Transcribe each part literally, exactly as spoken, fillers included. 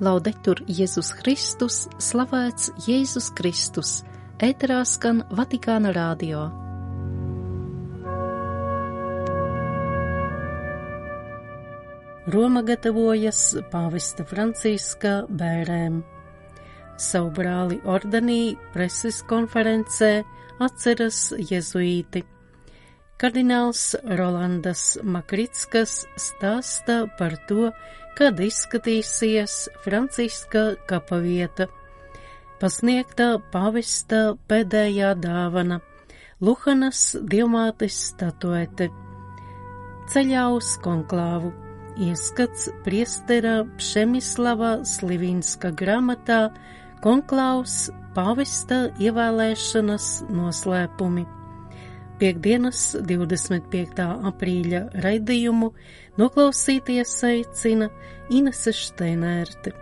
Laudetur Jēzus Kristus, slavēts Jēzus Kristus, ēterā skan Vatikāna radio. Roma gatavojas pāvesta Franciska bērēm. Savu brāli ordenī preses konferencē atceras jezuīti. Kardināls Rolandas Makrickas stāsta par to, kad izskatīsies Franciska kapavieta. Pasniegta pāvesta pēdējā dāvana – Luhanas Dievmātes statuete. Ceļā uz konklāvu ieskats priestera Pšemislava Slivinska grāmatā Konklāvs pāvesta ievēlēšanas noslēpumi. Piektdienas divdesmit piektā aprīļa raidījumu noklausīties aicina Inese Šteinērte.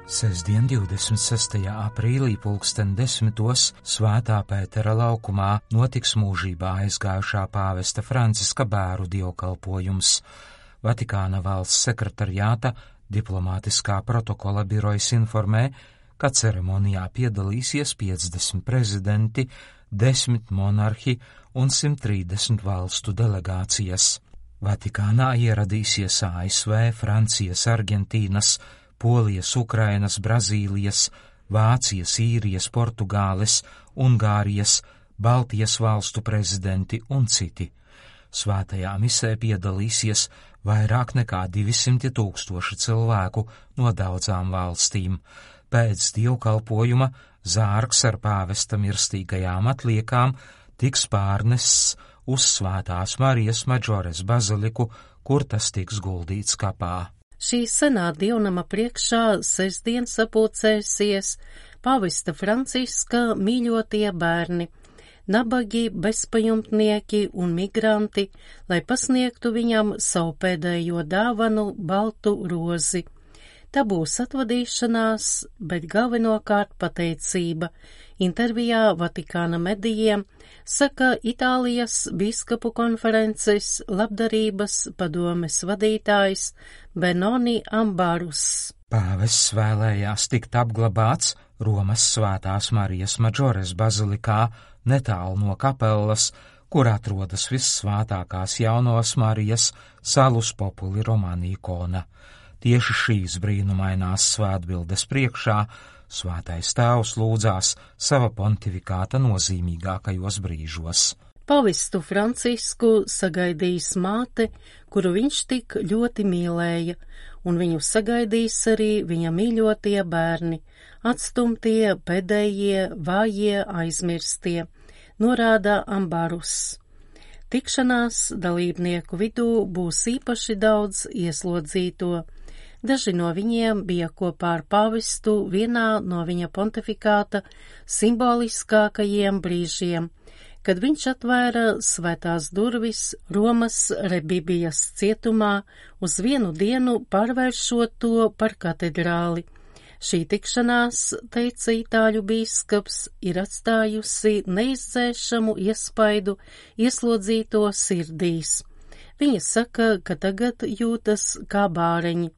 Sestdien divdesmit sestajā aprīlī pulksten desmitos Svētā Pētera laukumā notiks mūžībā aizgājušā pāvesta Franciska bēru dievkalpojums. Vatikāna valsts sekretariāta diplomātiskā protokola birojas informē, ka ceremonijā piedalīsies piecdesmit prezidenti, desmit monarhi un simt trīsdesmit valstu delegācijas. Vatikānā ieradīsies A S V, Francijas, Argentīnas, Polijas, Ukrainas, Brazīlijas, Vācijas, Īrijas, Portugāles, Ungārijas, Baltijas valstu prezidenti un citi. Svētajā misē piedalīsies vairāk nekā divsimti tūkstoši cilvēku no daudzām valstīm. Pēc dievkalpojuma zārks ar pāvesta mirstīgajām atliekām tiks pārnests uz Svētās Marijas Maģores baziliku, kur tas tiks guldīts kapā. Šī senā dievnama priekšā sestdien sapulcēsies pāvesta Franciska mīļotie bērni, nabagi, bezpajumtnieki un migranti, lai pasniegtu viņam savu pēdējo dāvanu baltu rozi. Tā būs atvadīšanās, bet galvenokārt pateicība. Intervijā Vatikāna medijiem saka Itālijas bīskapu konferences labdarības padomes vadītājs Benoni Ambarus. Pāvests vēlējās tikt apglabāts Romas Svētās Marijas Maģores bazilikā, netālu no kapellas, kur atrodas vissvētākās jaunās Marijas Salus Populi Romani ikona. Tieši šīs brīnumainās svētbildes priekšā Svētais Tēvs lūdzās sava pontifikāta nozīmīgākajos brīžos. Pavestu Francisku sagaidīs māte, kuru viņš tik ļoti mīlēja, un viņu sagaidīs arī viņa mīļotie bērni, atstumtie, pēdējie, vājie, aizmirstie, norāda Ambarus. Tikšanās dalībnieku vidū būs īpaši daudz ieslodzīto. Daži no viņiem bija kopā ar pāvestu vienā no viņa pontifikāta simboliskākajiem brīžiem, kad viņš atvēra svētās durvis Romas Rebibijas cietumā uz vienu dienu pārvēršot to par katedrāli. Šī tikšanās, teica itāļu bīskaps, ir atstājusi neizdzēšamu iespaidu ieslodzīto sirdīs. Viņa saka, ka tagad jūtas kā bāreņi.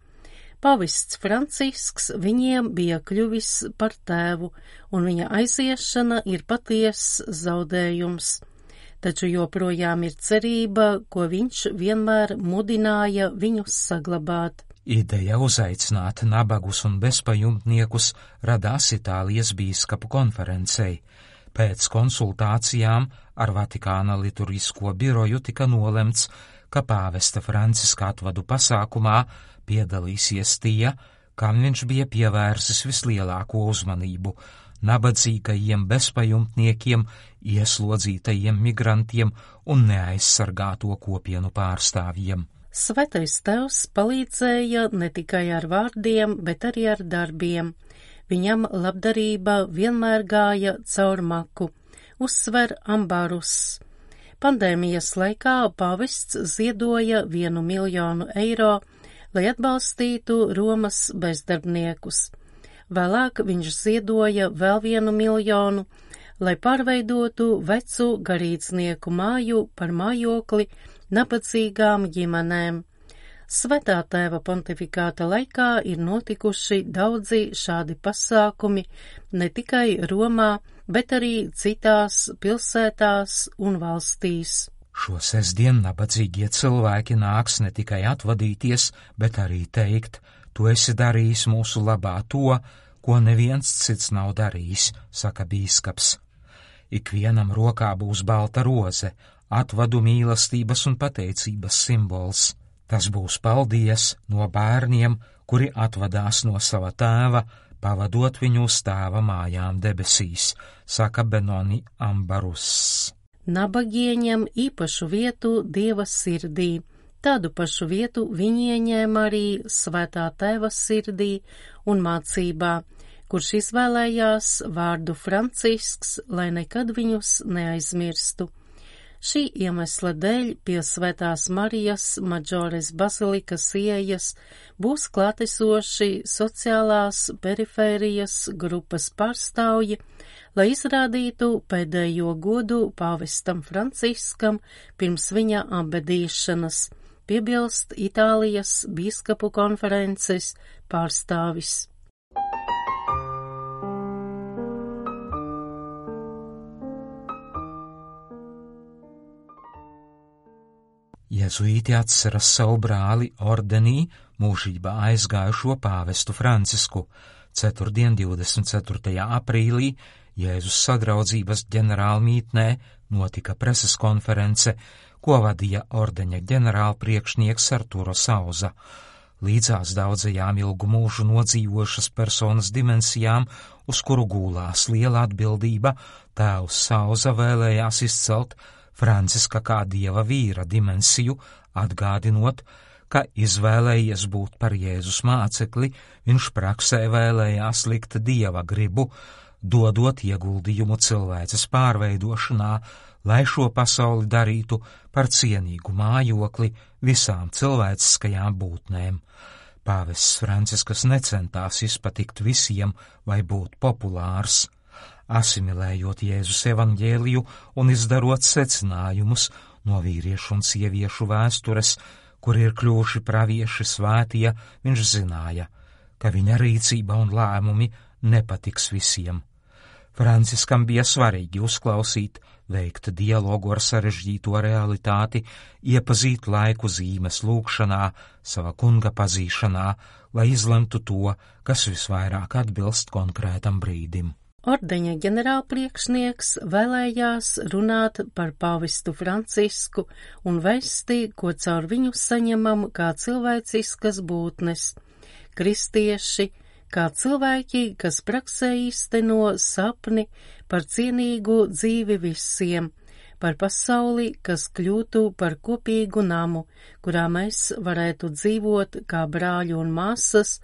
Pavests Francisks viņiem bija kļuvis par tēvu, un viņa aiziešana ir patiess zaudējums. Taču joprojām ir cerība, ko viņš vienmēr mudināja viņus saglabāt. Ideja uzaicināt nabagus un bezpajumtniekus radās Itālijas bīskapu konferencei. Pēc konsultācijām ar Vatikāna liturgisko biroju tika nolemts, ka pāvesta Franciska atvadu pasākumā piedalīsies tie, kam viņš bija pievērsis vislielāko uzmanību – nabadzīgajiem bezpajumtniekiem, ieslodzītajiem migrantiem un neaizsargāto kopienu pārstāvjiem. Svētais Tēvs palīdzēja ne tikai ar vārdiem, bet arī ar darbiem. Viņam labdarība vienmēr gāja caur maku, uzsver Ambarus. Pandēmijas laikā pāvests ziedoja vienu miljonu eiro, lai atbalstītu Romas bezdarbniekus. Vēlāk viņš ziedoja vēl vienu miljonu, lai pārveidotu vecu garīdznieku māju par mājokli nabadzīgām ģimenēm. Svētā tēva pontifikāta laikā ir notikuši daudzi šādi pasākumi ne tikai Romā, bet arī citās pilsētās un valstīs. Šo sestdienu nabadzīgie cilvēki nāks ne tikai atvadīties, bet arī teikt: tu esi darījis mūsu labā to, ko neviens cits nav darījis, saka bīskaps. Ikvienam rokā būs balta roze, atvadu mīlestības un pateicības simbols. Tas būs paldies no bērniem, kuri atvadās no sava tēva, pavadot viņu uz tēva mājām debesīs, saka Benoni Ambarus. Nabagi ieņem īpašu vietu Dieva sirdī. Tādu pašu vietu viņi ieņēma arī Svētā tēva sirdī un mācībā, kurš izvēlējās vārdu Francisks, lai nekad viņus neaizmirstu. Šī iemesla dēļ pie Svētās Marijas Maģores bazilikas ieejas būs klātesoši sociālās perifērijas grupas pārstāvji, lai izrādītu pēdējo godu pāvestam Franciskam pirms viņa apbedīšanas, piebilst Itālijas bīskapu konferences pārstāvis. Jēzuīti atceras savu brāli ordenī mūžībā aizgājušo pāvestu Francisku. Ceturtdien, divdesmit ceturtajā aprīlī, Jēzus sadraudzības ģenerālmītnē notika preses konference, ko vadīja ordeņa ģenerālpriekšnieks Arturo Sauza. Līdzās daudzajām ilgu mūžu nodzīvošas personas dimensijām, uz kuru gūlās liela atbildība, tēvs Sauza vēlējās izcelt Franciska kā dieva vīra dimensiju, atgādinot, ka izvēlējies būt par Jēzus mācekli, viņš praksē vēlējās likt dieva gribu, dodot ieguldījumu cilvēces pārveidošanā, lai šo pasauli darītu par cienīgu mājokli visām cilvēciskajām būtnēm. Pāvests Francisks necentās izpatikt visiem vai būt populārs. Asimilējot Jēzus evaņģēliju un izdarot secinājumus no vīriešu un sieviešu vēstures, kur ir kļuvuši pravieši svētie, viņš zināja, ka viņa rīcība un lēmumi nepatiks visiem. Franciskam bija svarīgi uzklausīt, veikt dialogu ar sarežģīto realitāti, iepazīt laiku zīmes lūkšanā, sava kunga pazīšanā, lai izlemtu to, kas visvairāk atbilst konkrētam brīdim. Ordeņa ģenerālpriekšnieks vēlējās runāt par pāvestu Francisku un vēsti, ko caur viņu saņemam kā cilvēciskas būtnes, kristieši, kā cilvēki, kas praksē īsteno sapni par cienīgu dzīvi visiem, par pasauli, kas kļūtu par kopīgu namu, kurā mēs varētu dzīvot kā brāļi un māsas,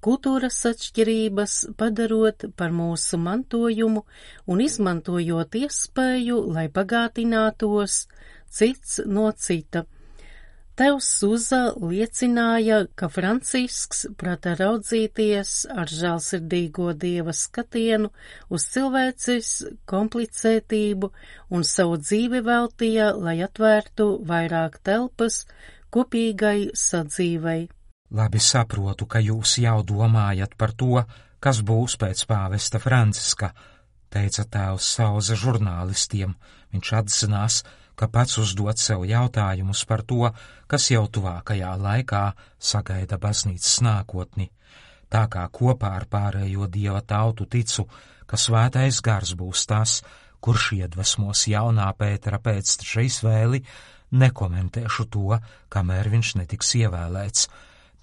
kultūras atšķirības padarot par mūsu mantojumu un izmantojot iespēju, lai bagātinātos cits no cita. Tevs Suza liecināja, ka Francisks prata raudzīties ar žēlsirdīgo dieva skatienu uz cilvēces komplicētību un savu dzīvi veltīja, lai atvērtu vairāk telpas kopīgai sadzīvei. Labi saprotu, ka jūs jau domājat par to, kas būs pēc pāvesta Franciska, teica tēvs Sauza žurnālistiem. Viņš atzinās, ka pats uzdod sev jautājumus par to, kas jau tuvākajā laikā sagaida baznīcas nākotni. Tā kā kopā ar pārējo dieva tautu ticu, ka svētais gars būs tas, kurš iedvesmos jaunā Pētera pēcteča izvēli, nekomentēšu to, kamēr viņš netiks ievēlēts,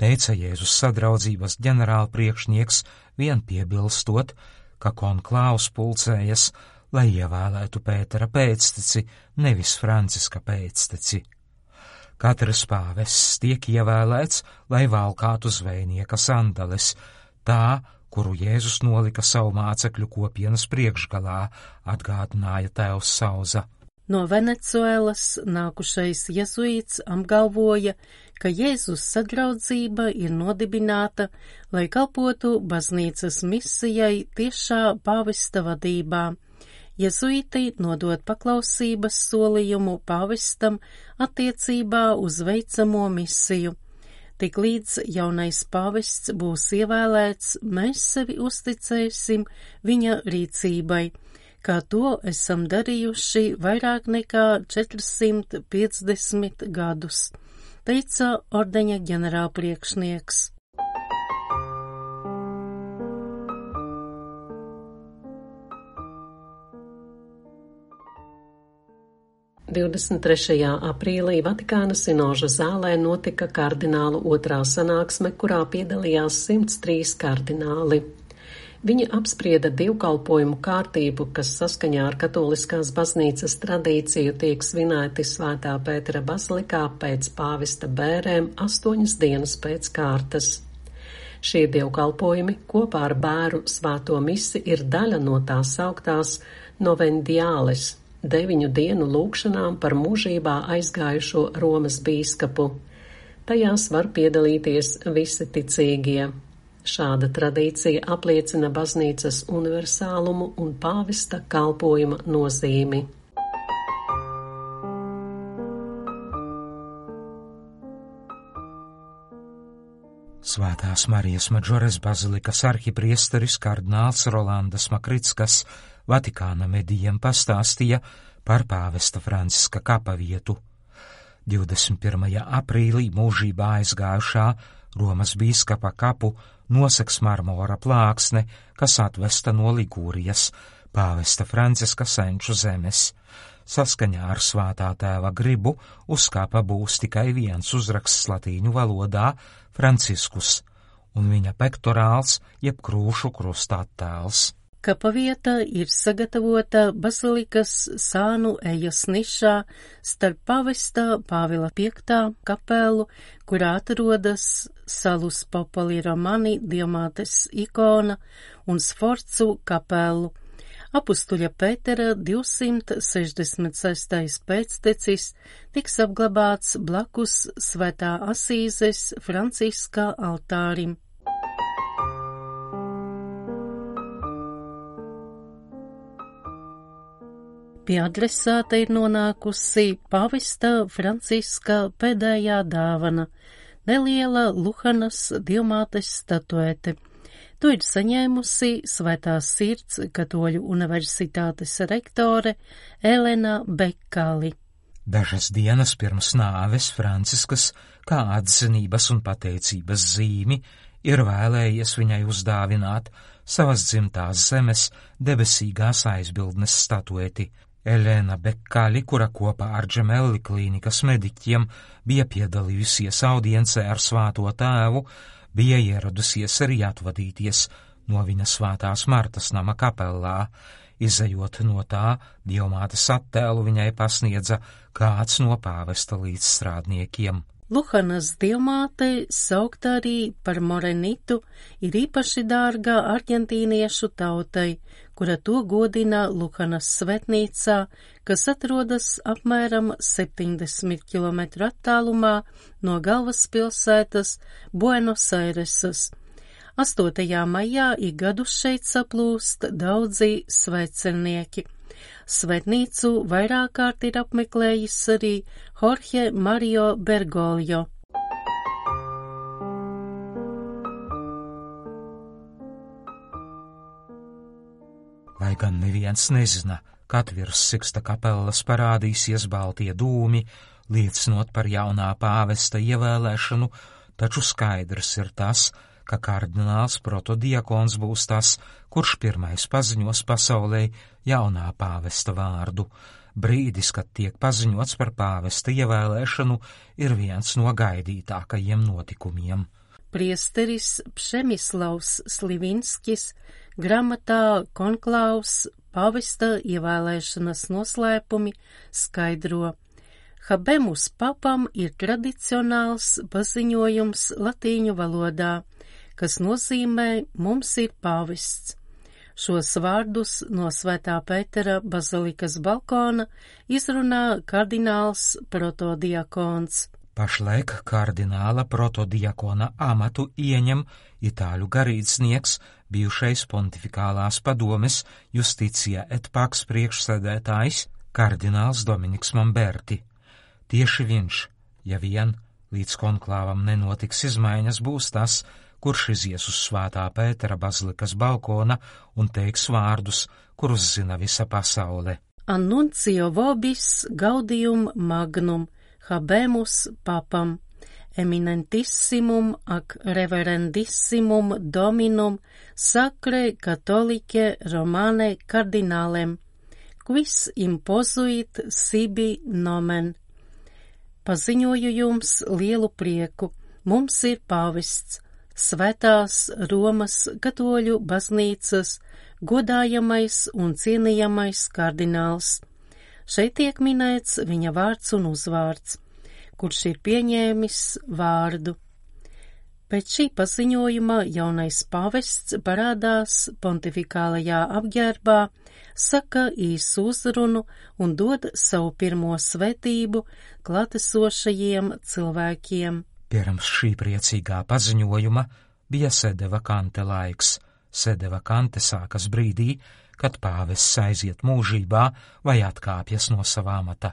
teica Jēzus sadraudzības ģenerālpriekšnieks, vien piebilstot, ka konklāvs pulcējas, lai ievēlētu Pētera pēcteci, nevis Franciska pēcteci. Katrs pāvests tiek ievēlēts, lai valkātu zvejnieka sandales, tā, kuru Jēzus nolika savu mācekļu kopienas priekšgalā, atgādināja tēvs Sauza. No Venecuēlas nākušais jezuīts apgalvoja, ka Jēzus sadraudzība ir nodibināta, lai kalpotu baznīcas misijai tiešā pāvesta vadībā. jezuīti nodod paklausības solījumu pāvestam attiecībā uz veicamo misiju. Tiklīdz jaunais pāvests būs ievēlēts, mēs sevi uzticēsim viņa rīcībai, kā to esam darījuši vairāk nekā četrsimt piecdesmit gadus, teica ordeņa ģenerālpriekšnieks. divdesmit trešajā aprīlī Vatikāna sinoža zālē notika kardinālu otrā sanāksme, kurā piedalījās simts trīs kardināli. Viņi apsprieda divkalpojumu kārtību, kas saskaņā ar katoliskās baznīcas tradīciju tiek svinēti Svētā Pētera bazilikā pēc pāvesta bērēm astoņas dienas pēc kārtas. Šie divkalpojumi kopā ar bēru svēto misi ir daļa no tās sauktās novendiāles, deviņu dienu lūgšanām par mūžībā aizgājušo Romas bīskapu. Tajās var piedalīties visi ticīgie. Šāda tradīcija apliecina baznīcas universālumu un pāvesta kalpojuma nozīmi. Svētās Marijas Madžores bazilikas arhipriesteris kardināls Rolandas Makrickas Vatikāna medijiem pastāstīja par pāvesta Franciska kapavietu. divdesmit pirmajā aprīlī mūžībā aizgājušā Romas bīskapa kapu noseks marmora plāksne, kas atvesta no Ligūrijas, pāvesta Franciska senču zemes. Saskaņā ar svētā tēva gribu uz kapa būs tikai viens uzraksts latīņu valodā – Franciskus, un viņa pektorāls jeb krūšu krusta attēls. Kapavieta ir sagatavota bazilikas sānu ejas nišā starp pavesta Pāvila piektā kapelu, kurā atrodas Salus Popoli Romani Diamātes ikona un Sforcu kapelu. Apustuļa Pētera divsimt sešdesmit sestais pēctecis tiks apglabāts blakus Svētā Asīzes Franciska altārim. Pie adresāta ir nonākusi pāvesta Franciska pēdējā dāvana – neliela Luhanas Diamātes statuete. To ir saņēmusi Svētās Sirds Katoļu universitātes rektore Elena Bekali. Dažas dienas pirms nāves Franciskas, kā atzinības un pateicības zīmi, ir vēlējies viņai uzdāvināt savas dzimtās zemes debesīgās aizbildnes statueti. Elena Bekali, kura kopā ar Džemelli klīnikas mediķiem bija piedalījusies audiencē ar Svēto tēvu, bija ieradusies arī atvadīties no viņa Svētās Martas nama kapellā. Izejot no tā, Diamātes attēlu viņai pasniedza kāds no pāvesta līdzstrādniekiem. Luhanas Diamāte, saukta arī par Morenitu, ir īpaši dārga argentīniešu tautai, kura to godina Luhanas svetnīcā, kas atrodas apmēram septiņdesmit kilometru attālumā no galvaspilsētas Buenos Airesas. astotajā maijā ik gadu šeit saplūst daudzi svētceļnieki. Svētnīcu vairāk kārt ir apmeklējis arī Jorge Mario Bergoglio. Lai gan neviens nezina, kad virs Siksta kapelas parādīsies baltie dūmi, liecinot par jaunā pāvesta ievēlēšanu, taču skaidrs ir tas, ka kardināls protodiakons būs tas, kurš pirmais paziņos pasaulē jaunā pāvesta vārdu. Brīdis, kad tiek paziņots par pāvesta ievēlēšanu, ir viens no gaidītākajiem notikumiem. Priesteris Pšemislavs Slivinskis grāmatā Konklāvs pāvesta ievēlēšanas noslēpumi skaidro. Habemus papam ir tradicionāls paziņojums latīņu valodā, kas nozīmē mums ir pāvests. Šos vārdus no Svētā Pētera bazilikas balkona izrunā kardināls protodiakons. Pašlaik kardināla protodiakona amatu ieņem itāļu garīdznieks, bijušais pontifikālās padomes Justitia et Pax priekšsēdētājs kardināls Dominiks Mamberti. Tieši viņš, ja vien līdz konklāvam nenotiks izmaiņas, būs tas, kurš izies uz Svētā Pētera bazilikas balkona un teiks vārdus, kurus zina visa pasaule. Annuncio vobis gaudium magnum, habemus papam, eminentissimum ac reverendissimum dominum sacre catholicae romane cardinalem, quis imposuit sibi nomen. Paziņoju jums lielu prieku, mums ir pāvests, Svētās Romas katoļu baznīcas godājamais un cienījamais kardināls. Šeit tiek minēts viņa vārds un uzvārds, kurš ir pieņēmis vārdu. Pēc šī paziņojuma jaunais pāvests parādās pontifikālajā apģērbā, saka īsu uzrunu un dod savu pirmo svētību klātesošajiem cilvēkiem. Pirms šī priecīgā paziņojuma bija sede vakante laiks. Sede vakante sākas brīdī, kad pāvests aiziet mūžībā vai atkāpjas no savā amata,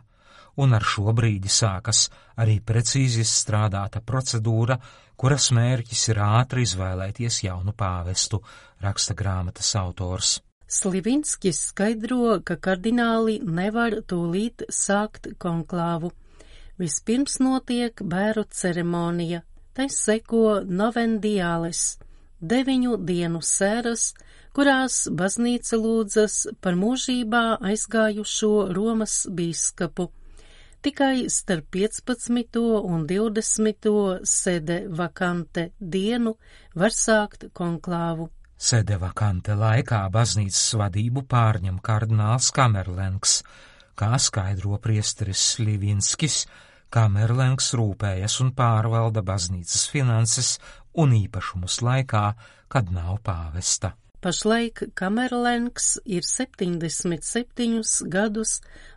un ar šo brīdi sākas arī precīzi izstrādāta procedūra, kuras mērķis ir ātri izvēlēties jaunu pāvestu, raksta grāmatas autors. Slivinskis skaidro, ka kardināli nevar tūlīt sākt konklāvu. Vispirms notiek bēru ceremonija, tai seko novendiāles, deviņu dienu sēras, kurās baznīca lūdzas par mūžībā aizgājušo Romas bīskapu. Tikai starp piecpadsmito un divdesmito sede vakante dienu var sākt konklāvu. Sede vakante laikā baznīcas vadību pārņem kardināls Kamerlengs, kā skaidro priesteris Slivinskis. Kamerlengs rūpējas un pārvalda baznīcas finanses un īpašumus laikā, kad nav pāvesta. Pašlaik Kamerlengs ir septiņdesmit septiņus gadus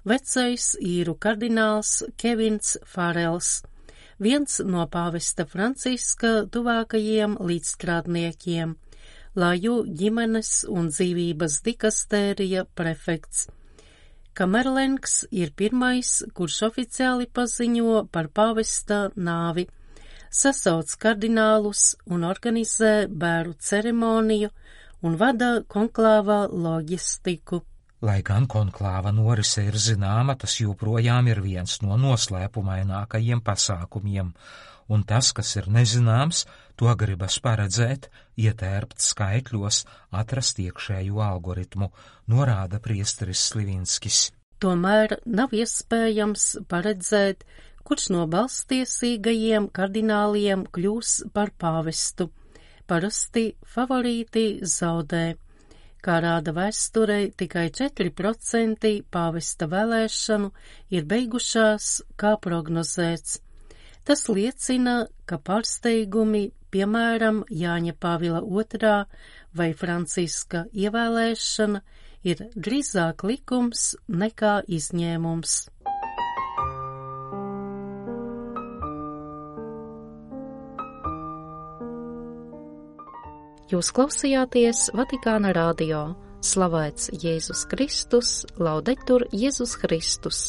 vecais īru kardināls Kevins Farels, viens no pāvesta Franciska tuvākajiem līdzstrādniekiem, Laju ģimenes un dzīvības dikastērija prefekts. Kamerlengs ir pirmais, kurš oficiāli paziņo par pāvesta nāvi, sasauc kardinālus un organizē bēru ceremoniju un vada konklāvā loģistiku. Lai gan konklāva norise ir zināma, tas joprojām ir viens no noslēpumainākajiem pasākumiem, un tas, kas ir nezināms, to gribas paredzēt, ietērpt skaitļos, atrast iekšēju algoritmu, norāda priesteris Slivinskis. Tomēr nav iespējams paredzēt, kurš no balstiesīgajiem kardināliem kļūs par pāvestu. Parasti favorīti zaudē. Kā rāda vēsturē, tikai četri procenti pāvesta vēlēšanu ir beigušās, kā prognozēts. Tas liecina, ka pārsteigumi, piemēram, Jāņa Pāvila otrā vai Franciska ievēlēšana, ir drīzāk likums nekā izņēmums. Jūs klausījāties Vatikāna radio. Slavēts Jēzus Kristus, laudetur Jēzus Kristus.